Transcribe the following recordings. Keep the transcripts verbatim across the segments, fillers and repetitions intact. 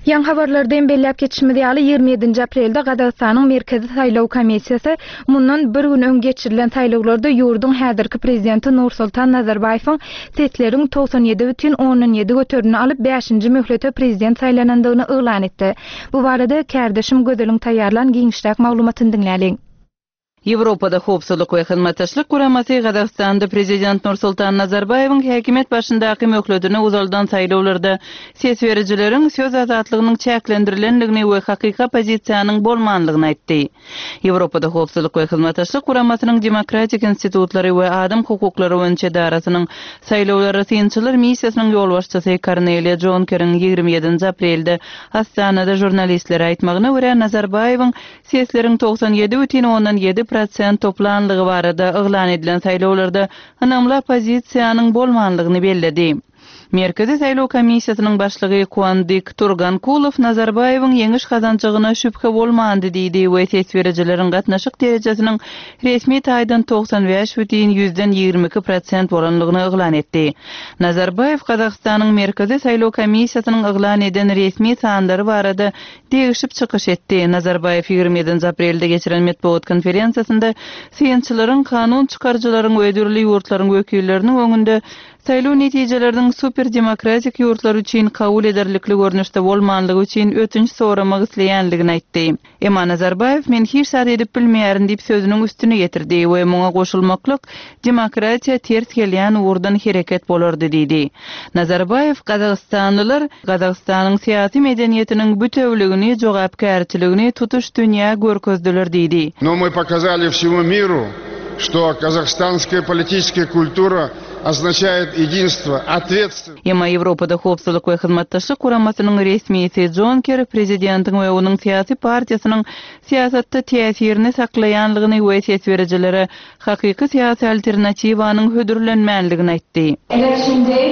Ýaňy habarlarda hem belläp geçişimiz ýaly, ýigrimi ýedinji aprelde Gazagystanyň Merkezi saýlaw komissiýasy mundan bir gün öň geçirilen saýlawlarda ýurduň häzirki prezidenti Nursultan Nazarbaýewiň sesleriň togsan ýedi bütin ondan ýedi göterimini alyp, bäşinji möhlete prezident saýlanandygyny yglan etdi. Bu barada kärdeşim Gözeliň taýýarlan giňişräk maglumatyny diňläliň. Ýewropada Howpsuzlyk we Hyzmatdaşlyk Guramasy Gazagystanda prezident Nursultan Nazarbaýewiň häkimiýet başyndaky möhletini uzaldan saýlawlarda ses berijileriň söz azatlygynyň çäklendirilendigini we hakyky oppozisiýanyň bolmanlygyny aýtdy. Ýewropada Howpsuzlyk we Hyzmatdaşlyk Guramasynyň Demokratik institutlary we adam hukuklary boýunça edarasynyň saýlawlara synçylar missiýasynyň ýolbaşçysy Korneliýa Jonkeriň ýigrimi ýedinji aprelde Astanada žurnalistlere aýtmagyna görä, Nazarbaýewiň sesleriň togsan ýedi bütin ondan ýedi prosent toplanlygy barada yglan edilen saýlawlarda ynamly oppozisiýanyň bolmanlygyny belledi. Merkezi saýlaw komissiýasynyň başlygy Kuandyk Turgankulow Nazarbaýewiň ýeňiş gazanjagyna şübhe bolmandy diýdi we ses berijileriň gatnaşyk derejesiniň resmi taýdan togsan bäş bütin ýüzden ýigrimi iki prosent bolanlygyny yglan etdi. Nazarbaýew Gazagystanyň Merkezi saýlaw komissiýasynyň yglan eden resmi sanlary barada degişip çykyş etdi. Nazarbaýew ýigrimi ýedinji aprelde geçiren metbugat konferensiýasynda synçylaryň, kanun çykaryjylaryň we dürli ýurtlaryň wekilleriniň öňünde saýlaw netijeleriniň superdemokratik ýurtlar üçin kabul ederlikli görnüşde bolmanlygy üçin ötünç soramak isleýänligini aýtdy. Emma Nazarbaýew men hiç zat edip bilmeýärin diýip sözüniň üstüne getirdi we muňa goşulmaklyk demokratiýa ters gelýän ugurdan hereket bolardy diýdi. Nazarbaýew Gazagystanlylar Gazagystanyň syýasy medeniýetiniň bütewligini, jogapkärçiligini tutuş dünýä görkezdiler diýdi. Но мы показали всему миру, что казахстанская политическая культура означает единство, ответственность. Emma Ýewropada Howpsuzlyk we Hyzmatdaşlyk Guramasynyň resmisi Jonker prezidentiň we onuň syýasy partiýasynyň syýasatda täsirini saklaýanlygyny we ses berijilere hakyky syýasy alternatiwanyň hödürlenmänligini aýtdy. Election day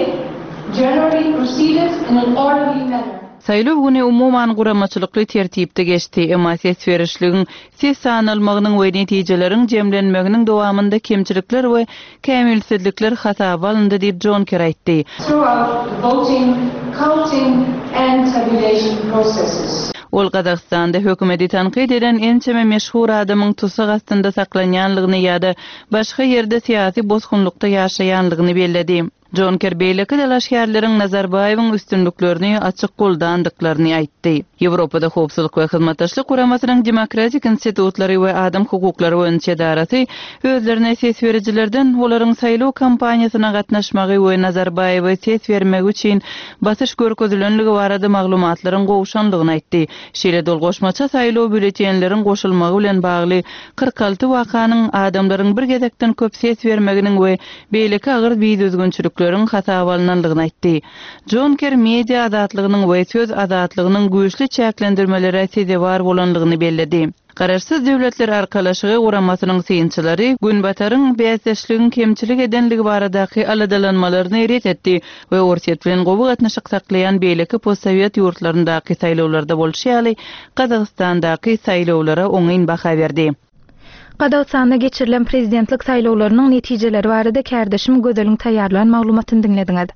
generally proceeded in an orderly manner. Saýlaw güni umuman guramaçylykly tertipde geçdi, emma ses berişligiň ses sanalmagynyň we netijeleriň jemlenmeginiň dowamynda kemçilikler we kämilsizlikler hasaba alyndy diýip Jonker aýtdy. Throughout the voting, counting and tabulation processes. Ol Gazagystanda hökümeti tankyt eden ençeme meşhur adamyň tussag astynda saklanýanlygyny ýa-da başga ýerde syýasy bosgunlykda ýaşaýanlygyny belledi. Jonker beýleki dalaşgärleriň Nazarbaýewiň üstünliklerini açyk goldandyklaryny aýtdy. Ýewropada Howpsuzlyk we Hyzmatdaşlyk Guramasynyň Demokratik institutlary we adam hukuklary boýunça edarasy özlerine ses berijilerden olaryň saýlaw kampaniýasyna gatnaşmagy we Nazarbaýewe ses bermegi üçin basyş görkezilenligi barada maglumatlaryň gowşanlygyny aýtdy. Şeýle dol goşmaça saýlaw býulletenleriň goşulmagy bilen bagly kyrk alty wakanyň adamlaryň bir gezekden köp ses bermeginiň we beýleki agyr bidüzgünçilikleriň hasaba alynanlygyny aýtdy. Jonker media azatlygynyň we söz azatlygynyň güýçli çäklendirmelere sezewar bolanlygyny belledi. Garaşsyz Döwletler Arkalaşygy guramasynyň synçylary Günbataryň bäsdeşligiň kemçilik edenligi baradaky aladalanmalaryny ret etdi we Orsýet bilen gowy gatnaşyk saklaýan beýleki postsowet ýurtlaryndaky saýlawlarda bolşy ýaly Gazagystandaky saýlawlara oňyn baha berdi. Gazagystanda geçirilen prezidentlik saýlawlarynyň netijeleri barada kärdeşim Gözeliň taýýarlan maglumatyny diňlediňiz.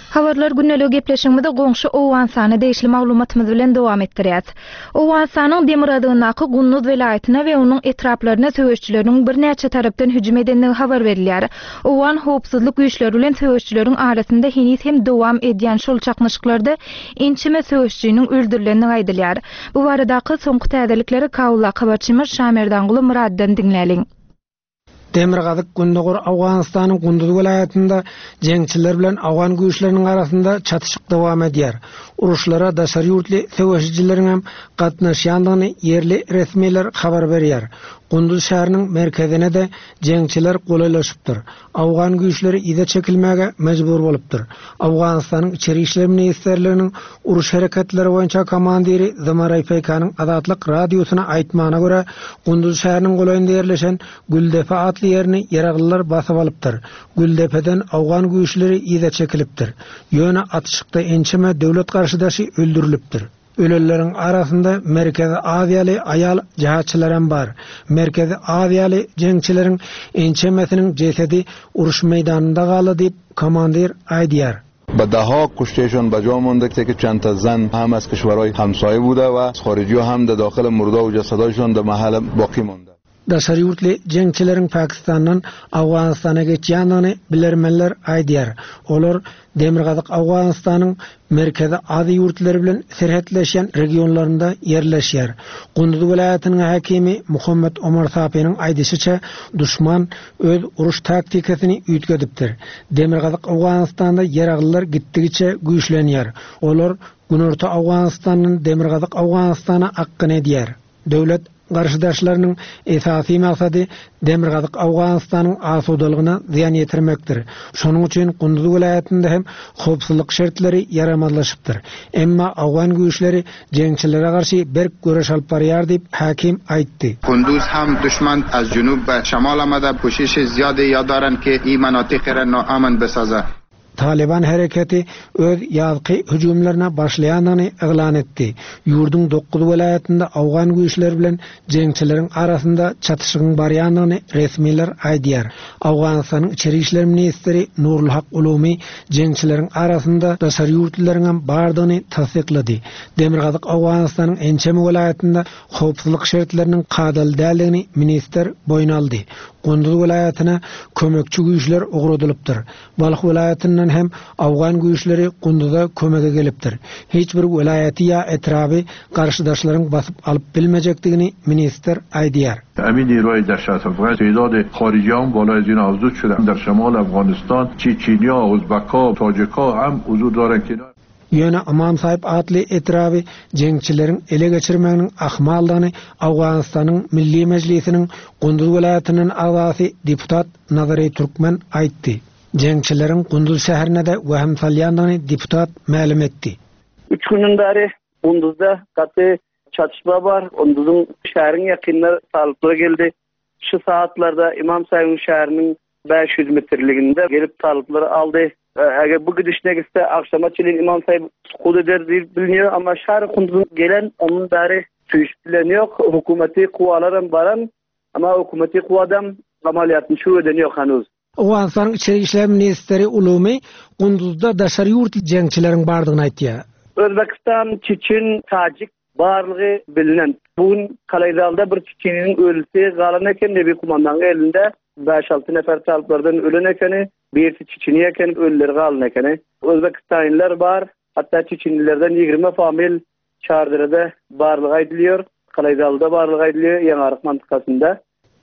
Habarlar gündelik gepleşigimizi goňşy Owganystana degişli maglumatymyz bilen dowam etdirýär. Owganystanyň demirgazygyndaky Gunduz welaýatyna we onuň etraplaryna söweşçileriniň birnäçe tarapdan hüjüm edendigi habar berilýär. Owgan howpsuzlyk güýçleri bilen söweşçileriň arasynda heniz hem dowam edýän şol çaknyşyklarda ençeme söweşçiniň öldürilendigi aýdylýar. Bu baradaky soňky täzelikleri Kabulda habarçymyz Şamerdanguly Muraddan diňläliň. Demirgazyk Gündogar Owganystanyň Gunduz welaýatynda jeňçiler bilen Owgan güýçleriniň arasynda çatyşyk dowam edýär. Uruşlara daşary ýurtly söweşijileriň hem gatnaşýandygyny ýerli resmiler habar berýär. Gunduz şäheriniň merkezine de jeňçiler golaýlaşypdyr. Owgan güýçleri yza çekilmäge mejbur bolupdyr. Owganystanyň Içeri işler ministrliginiň uruş hereketleri boýunça komandiri Zamaray Peykanyň Azatlyk radiosyna aýtmagyna görä, Gunduz şäheriniň golaýynda ýerleşen Güldepe atly ýerini ýaraglylar basyp alypdyr. Güldepeden Owgan güýçleri yza çekilipdir. Ýöne atyşykda ençeme döwlet garşydaşy öldürilipdir. Ölenleriň arasynda Merkezi Aziýaly aýal jihatçylar hem bar. Merkezi Aziýaly jeňçileriň ençemesiniň jesedi uruş meýdanynda galdy diýip komandir aýdýar. به دهها کشتهشان به جا مانده که چند تا زن هم از کشورهای همسایه بوده و خارجی هم در داخل مرده و جسدهایشان در محل باقی مانده. Daşary ýurtly jeňçileriň Pakistandan Owganystana geçýändigini bilermenler aýdýar. Olar Demirgazyk Owganystanyň Merkezi Aziýa ýurtlary bilen serhetleşýän regionlarynda ýerleşýär. Gunduz welaýatynyň häkimi Muhammet Omar Sapiniň aýdyşyça duşman öz uruş taktikasyny üýtgedipdir. Demirgazyk Owganystanda ýaraglylar gitdigiçe güýçlenýär. Olar Günorta Owganystandan Demirgazyk Owganystana akgyn edýär. Döwlet garşydaşlarynyň esasy maksady Demirgazyk Owganystanyň asudalygyna zyýan ýetirmekdir. Şonuň üçin Gunduz welaýatynda hem howpsuzlyk şertleri ýaramazlaşypdyr. Emma Owgan güýçleri jeňçilere garşy berk göreş alyp barýar diýip hakim aýtdy. Kunduz hem düşman az junub be şemal amada کوشش زیادی یا دارن که این مناطق را ناامن بسازه. Taliban hareketi öz ýazky hüjümlerine başlaýanyny yglan etdi. Ýurduň dokuz welaýatynda Owgan güýçleri bilen jeňçileriň arasynda çatyşygyň barýanyny resmiler aýdýar. Owganystanyň içeri işler ministri Nurulhak Ulumi jeňçileriň arasynda daşary ýurtlylaryň hem bardygyny tassyklady. Demirgazyk Owganystanyň ençeme welaýatynda howpsuzlyk şertleriniň kadaly däldigini ministr boýun aldy. Gunduz welaýatyna kömekçi güýçler ugradylypdyr. Balh welaýatyndan hem Owgan güýçleri Gunduza kömege gelipdir. Hiç bir welaýaty ýa etraby garşydaşlaryň basyp alyp bilmejekdigini ministr aýdýar. Emin نیروهای دهشت افغان تعداد خارجیان بالای از این افزود شده. در شمال افغانستان چچنیا، ازبکا، تاجیکا هم حضور دارن که Ýöne Imam Sahib atly etraby jeňçileriň ele geçirmeginiň ahmaldygyny Owganystanyň Milli Mejlisiniň Gunduz welaýatynyň agzasy deputat Nazary Türkmen aýtdy. Jeňçileriň Gunduz şäherine de wahim salýandygyny deputat mälim etdi. Üç günden bäri Gunduzda gaty çatışma bar. Gunduzun şäheriň ýakynlary talyplar geldi. Şu saatlarda Imam Sahibin şäheriniň beş ýüz metrliginde gelip talyplary aldy. Eger bu gidişine gitse akşama çelin İmam Sahib sukut eder diýip biliniyor ama şäher Gunduzun gelen onun bäri süýüşüp bilen ýok. Hukumeti kuwalaram baran ama hukumeti kuwadam amaliyatny şu eden ýok hanuz. Owganystanyň içeri işler ministri Ulumi Gunduzda daşary ýurtly jeňçileriň bardygyny aýtýar. Özbekistan, Çeçen, Tacik barlygy bilinen. Bugün Kalaýzalda bir Çeçeniň ölüsi galan eken, Nebi kumandanyň elinde beş altı nefer talyplardan ölen ekeni, birisi Çeçeni eken, ölüleri galan ekeni. Özbekistanlylar bar, hatta Çeçenilerden ýigrimi famil Çardyrada barlygy aýdylýar, Kalaýzalda barlygy aýdylýar, Ýaňaryk mantykasynda.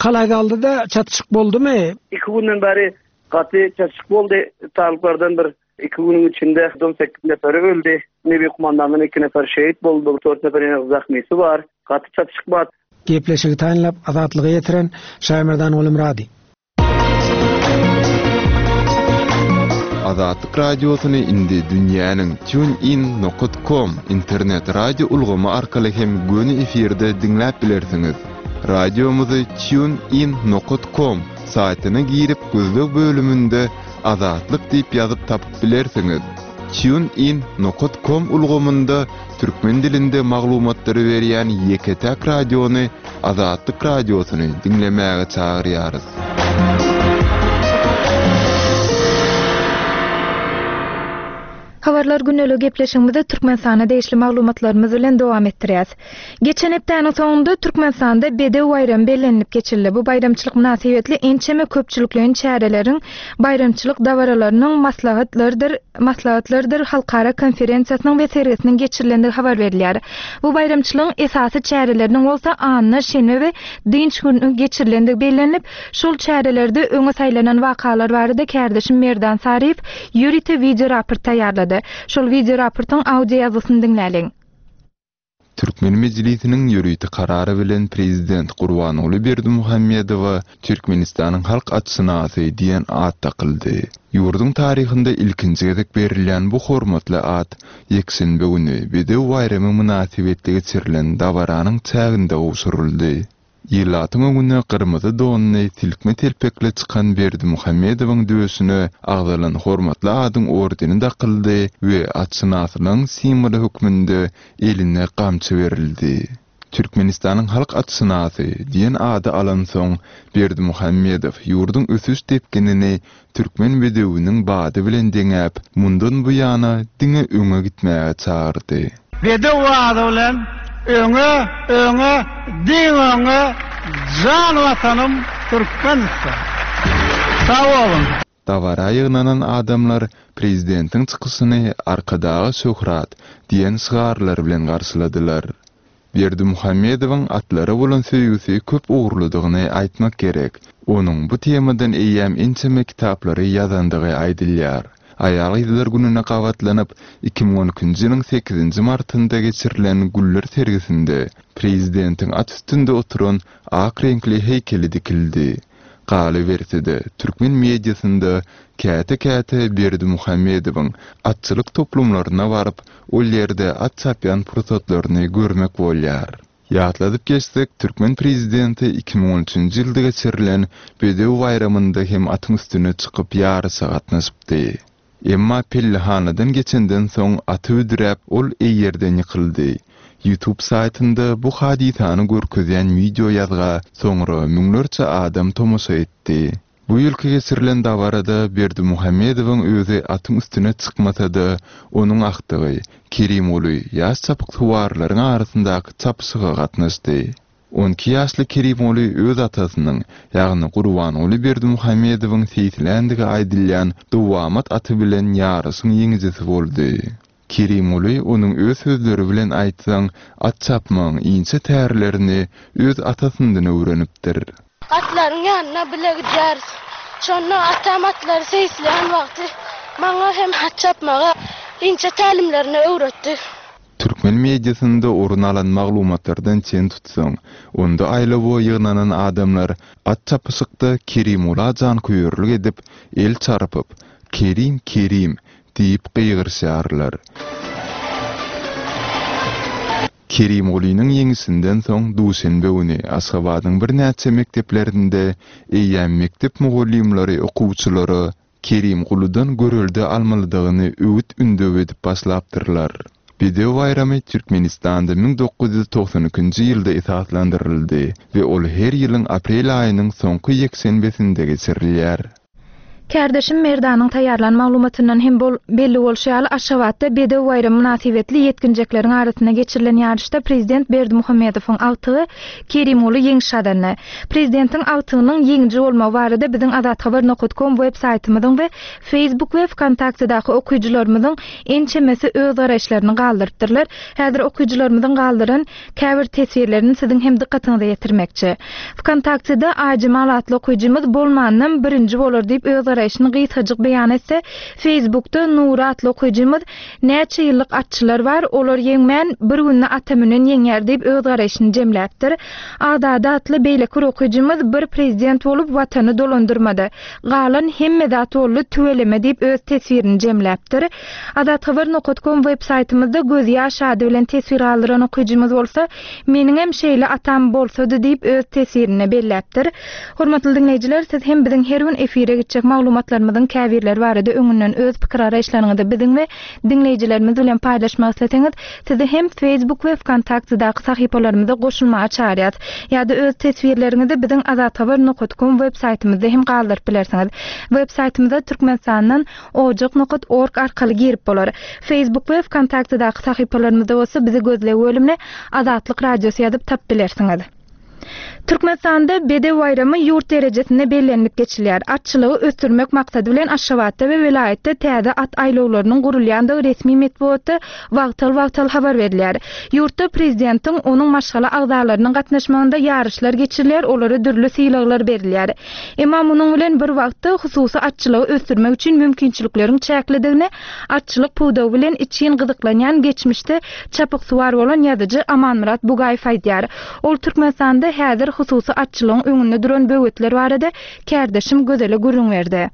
Kalaýzalda da çatyşyk boldumy? Iki günden bäri gaty çatyşyk boldy. Talyplardan bir iki günüň içinde on sekiz neferi öldi. Nebi kumandandan iki nefer şehit boldy, dört nefer ýene zahmesi bar. Gaty çatyşyk bar. Gepleşigi taýynlap azatlyga ýetiren Şaýmerdan Ulumrady. Azatlyk radiosyny indi dünýäniň tunein nokta com internet radio ulgamy arkaly hem göni efirde diňläp bilersiňiz. Radiomyzy tunein nokta com saýtyna girip gözleg bölüminde Azatlyk diýip ýazyp tapyp bilersiňiz. Tunein nokta com ulgamynda türkmen dilinde maglumatlary berýän ýeke-täk radiony Azatlyk radiosyny diňlemäge çagyrýarys. Habarlar günlük gepleşigimizde Türkmenistana degişli maglumatlarymyz bilen dowam etdirýäs. Geçen hepdäniň soňunda Türkmenistanda Bedew baýramy bellenilip geçirildi. Bu baýramçylyk mynasybetli ençeme köpçülikleýin çäreleriň, baýramçylyk dabaralarynyň maslahatlarydyr, maslahatlarydyr halkara konferensiýasynyň we sergisiniň geçirilendigi habar berilýär. Bu baýramçylygyň esasy çäreleriniň bolsa anna, şenbe we dynç günü geçirilendigi bellenilip, şol çärelerde öňe saýlanan wakalar barada kärdeşim Merdan Saryýew ýörite video raport taýýarlady. Şol video raportyň audio ýazgysyny diňläliň. Türkmen Mejlisiniň ýörite karary bilen Prezident Gurbanguly Berdimuhamedowa Türkmenistanyň halk atşynasy diýen at takyldy. Ýurduň taryhynda ilkinji gezek berilýän bu hormatly at ýekşenbe güni Bedew baýramy mynasybetli geçirilen dabaranyň çäginde gowşuryldy. Ýyllatyň öňüne gyrmyzy donny silkme telpekle çykan Berdimuhamedowyň döşüne agzalan hormatly adyň ordeni dakyldy we atşynasynyň simwoly hökmünde eline gamçy berildi. Türkmenistanyň halk atşynasy diýen ady alansoň, Berdimuhamedow ýurduň ösüş depginini türkmen bedewiniň bady bilen deňäp, mundan buýana diňe öňe gitmäge çagyrdy. Bedew bady bilen öňe, öňe, diňe öňe, jan Watanym Türkmenistan! Sag boluň! Dabara ýygnanan adamlar prezidentiň çykyşyny Arkadaga şöhrat! diýen şygarlar bilen garşyladylar. Berdimuhamedowyň atlara bolan söýgüsi köp ugurlydygyny aýtmak gerek. Onuň bu temadan eýýäm ençeme kitaplary ýazandygy aýdylýar. Aýal-gyzlar gününe gabatlanyp, iki müň on ikinji ýylyň sekizinji martynda geçirilen güller sergisinde prezidentiň at üstünde oturan ak reňkli heýkeli dikildi. Galyberse-de, türkmen mediasynda käte-käte Berdimuhamedowyň atçylyk toplumlaryna baryp, ol ýerde at çapýan pursatlaryny görmek bolýar. Ýatladyp geçsek, türkmen prezidenti iki müň on üçünji ýylda geçirilen Bedew baýramynda hem atyň üstüne çykyp ýaryşa gatnaşypdy. Emma pellehanadan geçenden soň aty büdräp, ol eýerden ýykyldy. YouTube saýtynda bu hadysany görkezýän wideo ýazga soňra müňlerçe adam tomaşa etdi. Bu ýylky geçirilen dabarada Berdimuhamedowyň özi atyň üstüne çykmasa-da, onuň agtygy Kerimguly ýaş çapyksuwarlaryň arasyndaky çapyşyga gatnaşdy. On iki ýaşly Kerimguly öz atasynyň, ýagny Gurbanguly Berdimuhamedowyň seýisländigi aýdylýan dowamat aty bilen ýaryşyň ýeňijisi boldy. Kerimguly onuň öz sözleri bilen aýtsaň, at çapmagyň inçe tärlerini öz atasyndan öwrenipdir. Atlaryň ýanyna bile gidýäris. Şonda atam atlary seýisleýän wagty maňa hem at çapmagy inçe tälimlerini öwretdi. Türkmen mediasynda orun alan maglumatlardan çen tutsaň, onda aýlawa ýygnanan adamlar at çapyşykda Kerimgula janköýerlik edip, el çarpyp, Kerim, Kerim diýip gygyryşýarlar. Kerimgulynyň ýeňişinden soň duşenbe güni Aşgabadyň birnäçe mekdeplerinde eýýäm mekdep mugallymlary okuwçylara Kerimguludan görelde almalydygyny öwüt-ündew edip başlapdyrlar. Bedew baýramy Türkmenistanda müň dokuz ýüz togsan ikinji ýylda esaslandyryldy we ol her ýylyň aprel aýynyň soňky ýekşenbesinde geçirilýär. Kärdeşim Merdanyň taýýarlan maglumatyndan hem bol, belli bolşy ýaly Aşgabatda Bedew baýramy mynasybetli ýetginjekleriň arasynda geçirilen ýaryşda prezident Berdimuhamedowyň agtygy Kerimguly ýeňiş gazandy. Prezidentiň agtygynyň ýeňiji bolmagy barada biziň azathabar nokta com web saýtymyzyň we Facebook we Vkontaktedaky okyjylarymyzyň ençemesi öz garaýyşlaryny galdyrypdyrlar. Häzir okyjylarymyzyň galdyran käbir teswirlerini siziň hem dykgatyňyza ýetirmekçi. Vkontakteda Aýjemal atly okyjymyz bolmandan birinji bolar diýip öz garaýşyny gysgajyk beýan etse, Facebookda Nura atly okyjymyz näçe ýyllyk atçylar bar, olar ýeňmän bir günde ata münen ýeňýär diýip öz garaýşyny jemläpdir. Azada atly beýleki bir okyjymyz bir prezident bolup watany dolandyrmady. Galan hemme zat boldy tüweleme diýip öz teswirini jemläpdir. Azathabar nokta com web saýtymyzda gözýaş ady bilen teswir galdyran okyjymyz bolsa, meniň hem şeýle atam bolsady diýip öz teswirini belläpdir. Hormatly diňleýjiler, siz hem biziň her gün efire gitjek maglumatlarymyzyň käbirleri barada öňünden öz pikir araýyşlaryňyzy biziň we diňleýjilerimiz bilen paýlaşmak isleseňiz, sizi hem Facebook we Vkontaktedaky sahypalarymyza goşulmaga çagyrýarys. Ýa-da öz teswirleriňizi biziň azathabar nokta com web saýtymyzda hem galdyryp bilersiňiz. Web saýtymyza Türkmenistandan ojak nokta org arkaly girip bolar. Facebook we Vkontaktedaky sahypalarymyzda bolsa bizi gözleg bölümine Azatlyk Radiosy ýazyp tap bilersiňiz. Türkmenistanda Bedew baýramy ýurt derejesinde bellenilip geçilýär. Atçylygy ösdürmek maksady bilen Aşgabatda we welaýatda täze at aýlawlarynyň gurulýandygy resmi metbugatda wagtal-wagtal habar berilýär. Ýurtda prezidentiň onuň maşgala agzalarynyň gatnaşmagynda ýaryşlar geçirilýär, olara dürli sylaglar berilýär. Emma munuň bilen bir wagtda hususy atçylygy ösdürmek üçin mümkinçilikleriň çäklidigini atçylyk pudagy bilen içgin gyzyklanýan geçmişde çapyksuwar bolan ýazyjy Amanmyrat Bugaýew aýdýar. Ol Türkmenistanda häzir hususy atçylygyň öňünde duran böwetler barada kärdeşim Gözele gürrüň berdi.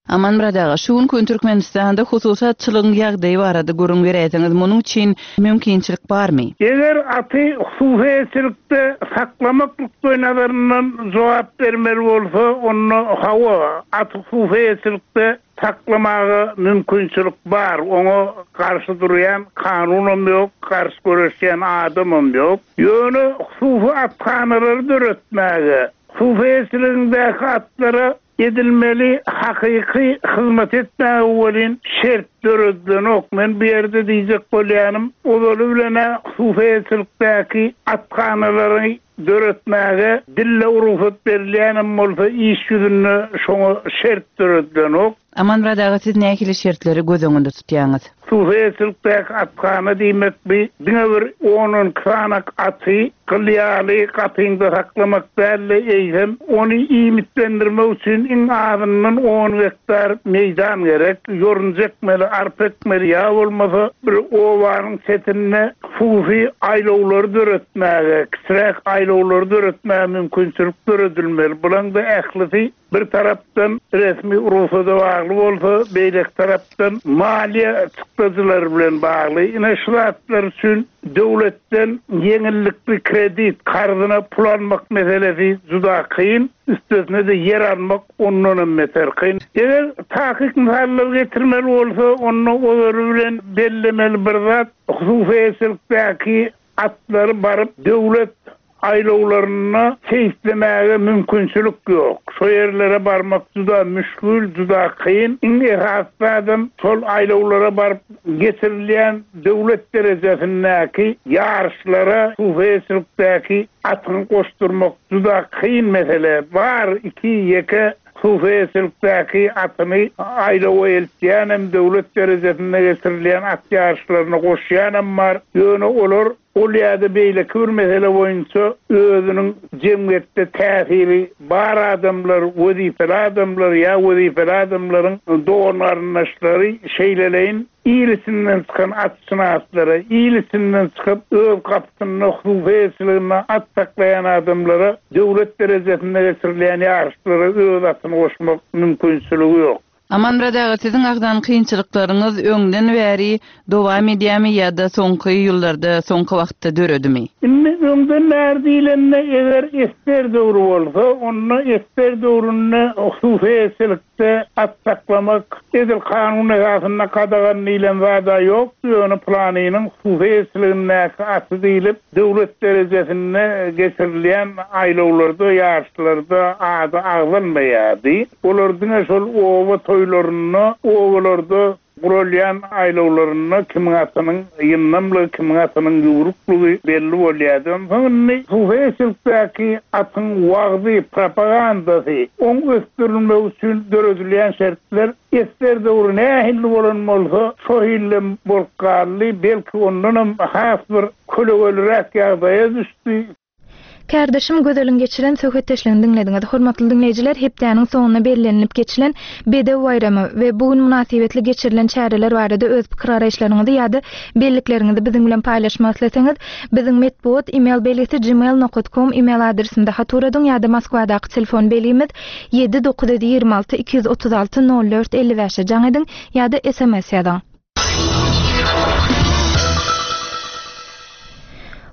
Amanmyrat aga, şu günki gün Türkmenistanda hususy atçylygyň ýagdaýy barada gürrüň beräýseňiz, munuň üçin mümkinçilik barmy? Eger aty hususy eýeçilikde saklamak nukdaýnazaryndan jogap bermeli bolsa, onda hawa, aty hususy eýeçilikde saklamaga mümkinçilik bar. Oňa garşy durýan kanunam ýok, garşy göreşýän adamam ýok. Ýöne hususy athanalary döretmäge, hususy eýeçiligiňdäki atlara edilmeli hakyky hyzmat etmäge welin şert döredilenok. Men bu ýerde diýjek bolýanym, ozaly bilen-ä hususy eýeçilikdäki athanalary döretmäge dille rugsat berilýänem bolsa, iş ýüzünde şoňa şert döredilenok. Amanmyrat aga, siz nähili şertleri göz öňünde tutýaňyz? Hususy eýeçilikdäki athana diýmek bi diňe bir on-on iki sanak aty gyl ýaly gapyňda saklamak däl-de, eýsem ony iýmitlendirmek üçin iň azyndan on gektar meýdan gerek. Ýorunja ekmeli, arpa ekmeli, ýa bolmasa bir obanyň çetinde hususy aýlawlary döretmäge, kiçiräk aýlawlary döretmäge mümkinçilik döredilmeli. Bulaň-da ählisi bir tarapdan resmi rugsada bagly bolsa, beýleki tarapdan maliýe çykdajylary bilen bagly. Ine şu zatlar üçin döwletden ýeňillikli kredit, karzyna pul almak meselesi juda kyn, üstesine-de ýer almak ondanam beter kyn. Eger takyk mysallar getirmeli bolsa, onda olary bilen bellemeli bir zat, hususy eýeçilikdäki atlary baryp döwlet aýlawlaryna seýislemäge mümkinçilik ýok. Şo ýerlere barmak juda müşgül, juda kyn. Iň esasy adam şol aýlawlara baryp geçirilýän döwlet derejesindäki ýaryşlara hususy eýeçilikdäki atyny goşdurmak juda kyn mesele. Bar iki ýeke hususy eýeçilikdäki atyny aýlawa eltýänem, döwlet derejesinde geçirilýän at ýaryşlaryna goşýanam bar. Ýöne olar ol ýa-da beýleki bir mesele boýunça özüniň jemgyýetde täsiri bar adamlar, wezipeli adamlar ýa wezipeli adamlaryň dogan-garyndaşlary şeýleleýin il içinden çykan atşynaslara, il içinden çykyp öz gapysynda hususy eýeçiliginde at saklaýan adamlara döwlet derejesinde geçirilýän ýaryşlara öz atyny goşmak mümkinçiligi ýok. Amanmyrat aga, siziň agzan kynçylyklaryňyz öňden bäri dowam edýärmi ýa-da soňky ýyllarda, soňky wagtda döredimi? Indi öňden bäri diýlende, eger esger döwri bolsa, onda esger döwründe hususy eýeçilikde at saklamak edil kanun esasynda gadagan diýlen zada ýok. Ýöne planynyň hususy eýeçiligindäki aty diýlip döwlet derejesinde geçirilýän aýlawlarda, ýaryşlarda ady agzalmaýardy. Olar diňe şol oba toýlarynda, obalarda guralýan aýlawlarynda kimiň atynyň ýyndamlygy, kimiň atynyň ýugruklygy belli bolýardy. Onsoň indi hususy eýeçilikdäki atyň wagzy, propagandasy, oň ösdürilmegi üçin döredilýän şertler esger döwri nähili bolan bolsa, şo hillem bolup galdy, belki ondanam has bir kölegeliräk ýagdaýa düşdi. Kärdeşim Gözeliň geçiren söhbetdeşligini diňlediňiz. Hormatly diňleýjiler, hepdäniň soňuna bellenilip geçilen Bedew baýramy we bu gün mynasybetli geçirilen çäreler barada öz pikir garaýyşlaryňyzy ýa-da bellikleriňizi biziň bilen paýlaşmak isleseňiz, biziň metbugat e-mail belgisi gmail nokta com e-mail adresinde hat uradyň ýa-da Moskwadaky telefon belgimiz ýedi dokuz ýüz ýigrimi alty iki ýüz otuz alty nol dört elli bäşe jaň ediň ýa-da S M S ýazyň.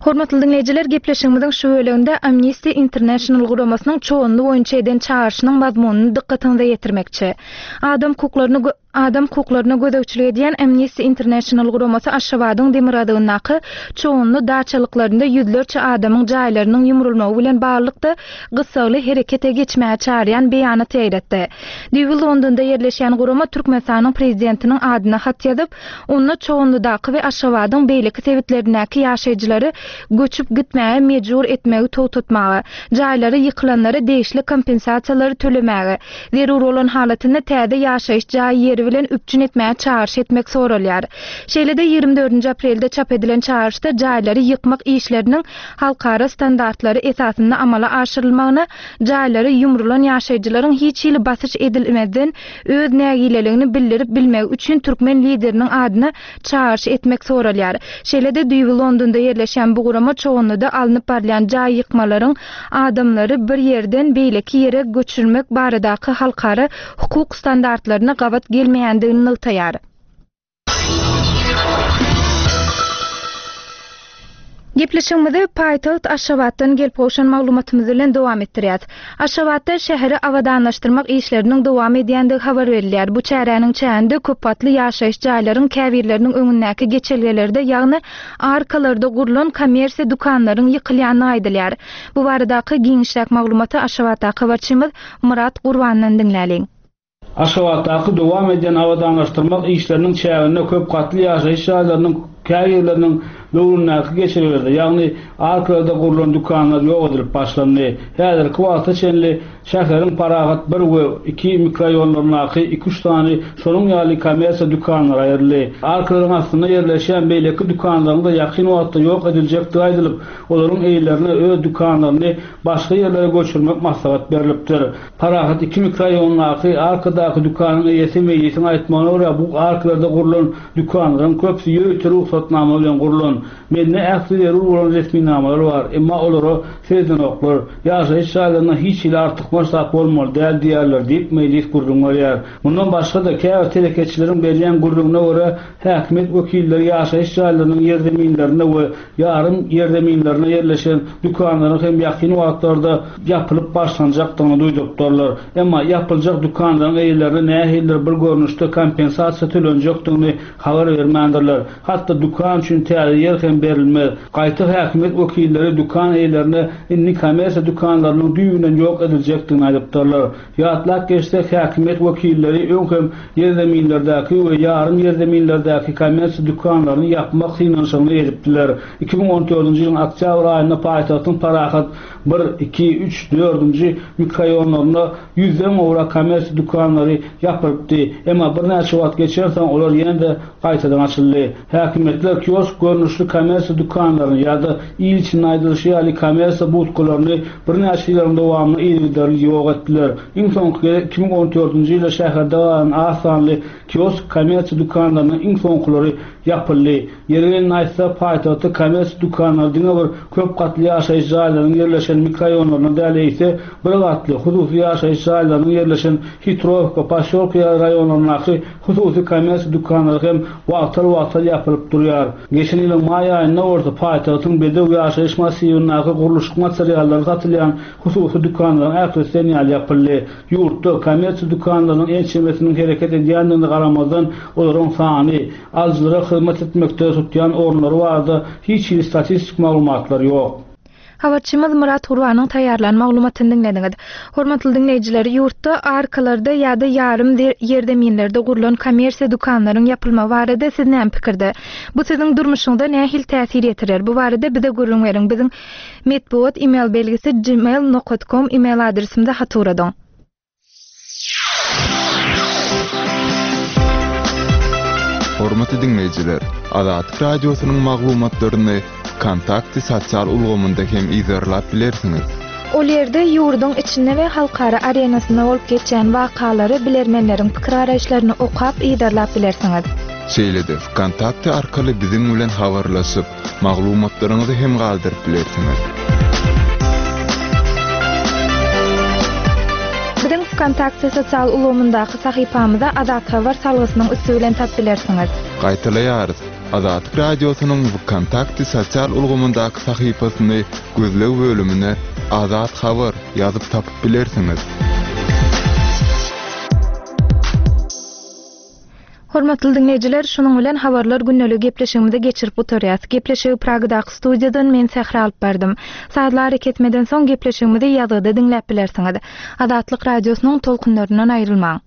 Hormatly diňleýjiler, gepleşigimiziň şu bölüminde Amnesty International guramasynyň çoganly boýunça eden çağrışynyň mazmunyny dykgatyňyza ýetirmekçi. Adam hukuklaryny gö-, adam hukuklaryna gözegçilik edýän Amnesty International guramasy Aşgabadyň demirgazygyndaky çoganly daçalyklarynda ýüzlerçe adamyň jaýlarynyň ýumrulmagy bilen baglylykda gyssagly herekete geçmäge çağırýan beýanat ýaýratdy. Düýbi Londonda ýerleşýän gurama Türkmenistanyň prezidentiniň adyna hat ýazyp, onda Çoganlydaky we Aşgabadyň beýleki sebitlerindäki ýaşaýjylary göçüp gitmäge mejbur etmegi togtatmaga, jaýlary ýykylanlara degişli kompensasiýalary tölemäge, zerur bolan halatynda täze ýaşaýyş jaý ýeri serişdeleri bilen üpjün etmäge çagyryş etmek soralýar. Şeýle-de ýigrimi dördünji aprelde çap edilen çagyryşda jaýlary ýykmak işleriniň halkara standartlary esasynda amala aşyrylmagyna, jaýlary ýumrulan ýaşaýjylaryň hiç hili basyş edilmezden öz nägileligini bildirip bilmegi üçin türkmen lideriniň adyna çagyryş etmek soralýar. Şeýle-de düýbi Londonda ýerleşýän bu gurama Çoganlyda alnyp barylýan jaý ýykmalaryň adamlary bir ýerden beýleki ýere göçürmek baradaky halkara hukuk standartlaryna gabat gelmeýändigini nygtaýar. Gepleşigimizi paýtagt Aşgabatdan gelip gowşan maglumatymyz bilen dowam etdirýäs. Aşgabatda şäheri abadanlaşdyrmak işleriniň dowam edýändigi habar berilýär. Bu çäräniň çäginde köp gatly ýaşaýyş jaýlaryň käbirleriniň öňündäki geçelgelerde, ýagny arkalarda gurlan kommersiýa dükanlaryň ýykylýandygy aýdylýar. Bu baradaky giňişräk maglumaty Aşgabatdaky habarçymyz Myrat Gurbandan diňläliň. Aşgabatdaky dowam edýän abadanlaşdyrmak işleriniň çäginde köp gatly ýaşaýyş jaýlarynyň käbirleriniň böwründäki geçelgelerde, ýagny arkalarda gurlan dükanlar ýok edilip başlandy. Häzirki wagta çenli şäheriň Parahat bir we iki mikroraýonlaryndaky iki üç sany şonuň ýaly kommersiýa dükanlary aýryldy. Arkalaryň astynda ýerleşýän beýleki dükanlaryň da ýakyn wagtda ýok ediljekdigi aýdylyp, olaryň eýelerine öz dükanlaryny başga ýerlere göçürmek maslahat berlipdir. Parahat iki mikroraýondaky arkadaky dükanyň eýesi Meýlisiň aýtmagyna görä, bu arkalarda gurlan dükanlaryň köpüsi ýörite rugsatnama bilen gurlan. Mende ähli zerur bolan resminamalar bar, emma olara seredenoklar. Ýaşaýyş jaýlarynda hiç hili artykmaç zat bolmaly däl diýerler diýip Meýlis gürrüň berýär. Mundan başga-da käbir telekeçileriň berýän gürrüňine görä, häkimiýet wekilleri ýaşaýyş jaýlarynyň ýerzeminlerinde we ýarym ýerzeminlerinde ýerleşen dükanlaryň hem ýakyn wagtlarda ýapylyp başlanjakdygyny duýdurdylar. Emma ýapyljak dükanlaryň eýelerine nähilidir bir görnüşde kompensasiýa tölenjekdigini habar bermändirler. Hatda dükan üçin täze ýer hem berilmez. Gaýta häkimiýet wekilleri dükan eýelerine indi kommersiýa dükanlarynyň düýbünden ýok ediljekdigini aýdypdyrlar. Ýatlap geçsek, häkimiýet wekilleri öň hem ýerzeminlerdäki we ýarym ýerzeminlerdäki kommersiýa dükanlaryny ýapmak synanyşygyny edipdiler. iki müň on dördünji ýylyň oktýabr aýynda paýtagtyň Parahat bir, iki, üç, dördünji mikroraýonlarynda ýüzden gowrak kommersiýa dükanlary ýapylypdy. Emma birnäçe wagt geçensoň olar ýene-de gaýtadan açyldy. Häkimiýetler kiosk görnüşli kommersiýa dükanlaryny ýa-da il içinde aýdylyşy ýaly kommersiýa budkalaryny birnäçe ýyllaryň dowamynda yzygiderli ýok etdiler. Iň soňky gezek iki müň on dördünji ýylda şäherde galan az sanly kiosk kommersiýa dükanlarynyň iň soňkulary ýapyldy. Ýeri gelende aýtsa, paýtagtda kommersiýa dükanlary diňe bir köp gatly ýaşaýyş jaýlarynyň ýerleşen mikroraýonlarynda däl, eýse bir gatly hususy ýaşaýyş jaýlarynyň ýerleşen Hitrowka, Posýolka raýonlaryndaky hususy kommersiýa dükanlary hem wagtal-wagtal ýapylyp durýar. Geçen ýylyň maý aýynda bolsa paýtagtyň Bedew ýaşaýyş massiwindäki gurluşyk materiallary satylýan hususy dükanlaryň ählisi ýaly ýapyldy. Ýurtda kommersiýa dükanlarynyň ençemesiniň hereket edýändigine garamazdan, olaryň sany, alyjylara hyzmat etmekde tutýan orunlary barada hiç hili statistik maglumatlar ýok. Habarçymyz Myrat Gurbanyň taýýarlan maglumatyny diňlediňiz. Hormatly diňleýjiler, ýurtda arkalarda ýa-da ýarym ýerzeminlerde gurlan kommersiýa dükanlaryň ýapylmagy barada siz näme pikirde? Bu siziň durmuşyňyza nähili täsir ýetirer? Bu barada bize gürrüň beriň. Biziň metbugat e-mail belgisi gmail nokta com e-mail adresimize hat ugradyň. Hormatly diňleýjiler, Azatlyk radiosynyň maglumatlaryny Kontakty sosial ulgamynda hem yzarlap bilersiňiz. Ol ýerde ýurduň içinde we halkara arenasynda bolup geçýän wakalary bilermenleriň pikir garaýyşlaryny okap yzarlap bilersiňiz. Şeýle-de Kontakty arkaly biziň bilen habarlaşyp, maglumatlaryňyzy hem galdyryp bilersiňiz. Biziň Kontakty sosial ulgamyndaky sahypamyza Azat Habar salgysynyň üsti bilen tap bilersiňiz. Gaýtalaýarys. Azatlyk radiosynyň Kontakty sosial ulgamyndaky sahypasyny gözleg bölümine Azat Habar ýazyp tapyp bilersiňiz. Hormatly dinleýjiler, şunuň bilen habarlar gündelik gepleşigimizi geçirip gutarýas. Gepleşigi Pragadaky studiýadan men Sähra alyp bardym. Sazly hareketmeden soň gepleşigimizi ýazgyda diňläp bilersiňiz. Azatlyk radiosynyň tolkunlaryndan aýrylmaň.